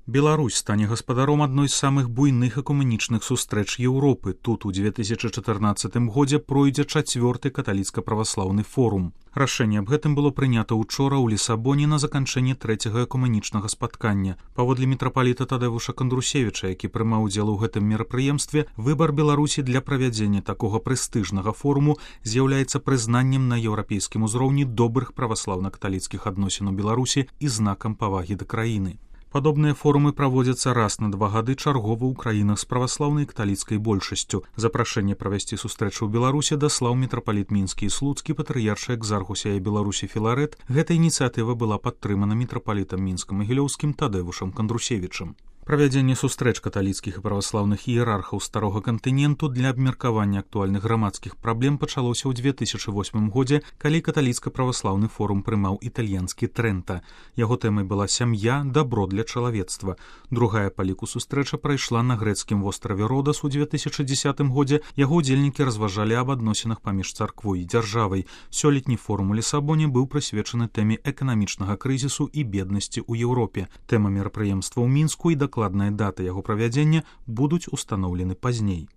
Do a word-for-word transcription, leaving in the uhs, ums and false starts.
Беларусь стане гаспадаром адной з самых буйных экумэнічных сустрэч Еўропы. Тут у две тысячы чатырнаццатым годзе пройдзе чацвёрты каталіцка-праваслаўны форум. Рашэнне аб гэтым было прынята ўчора ў Лісабоне на заканчэнні трэцяга экумэнічнага спаткання. Паводле мітрапаліта Тадэвуша Кандрусевіча, які прымаў удзел у гэтым мерапрыемстве, выбар Беларусі для правядзення такога прэстыжнага форуму з'яўляецца прызнаннем на еўрапейскім узроўні добрых праваслаўна-каталіцкіх адносін у Беларусі і знакам павагі да краіны. Падобныя форумы праводзяцца раз на два гады чаргова ў краінах з праваслаўнай каталіцкай большасцю. Запрашэнне правесці сустрэчу ў Беларусі даслаў мітрапаліт мінскі і слуцкі патрыяршы экзархусія Беларусі Філарэт. Гэта ініцыятыва была падтрымана мітрапалітам мінска-магілёўскім Тадэвушам Кандрусевічам. Правядзенне сустрэч каталіцкіх і праваслаўных іерархаў старога кантыненту для абмеркавання актуальных грамадскіх праблем пачалося ў две тысячы восьмым годзе, калі каталіцка-праваслаўны форум прымаў італьянскі Трэнта. Яго тэмай была сям'я, дабро для чалавецтва. Другая па ліку сустрэча прайшла на грэцкім востраве Родас у две тысячы дзесятым годзе. Яго ўдзельнікі разважалі аб адносінах паміж царквой і дзяржавай. Сёлетні форум у Лісабоне быў прысвечаны тэме эканамічнага крызісу і беднасці ў Еўропе. Тэма мерапрыемства ў Мінску і дакладная дата яго правядзення будуць устаноўлены пазней.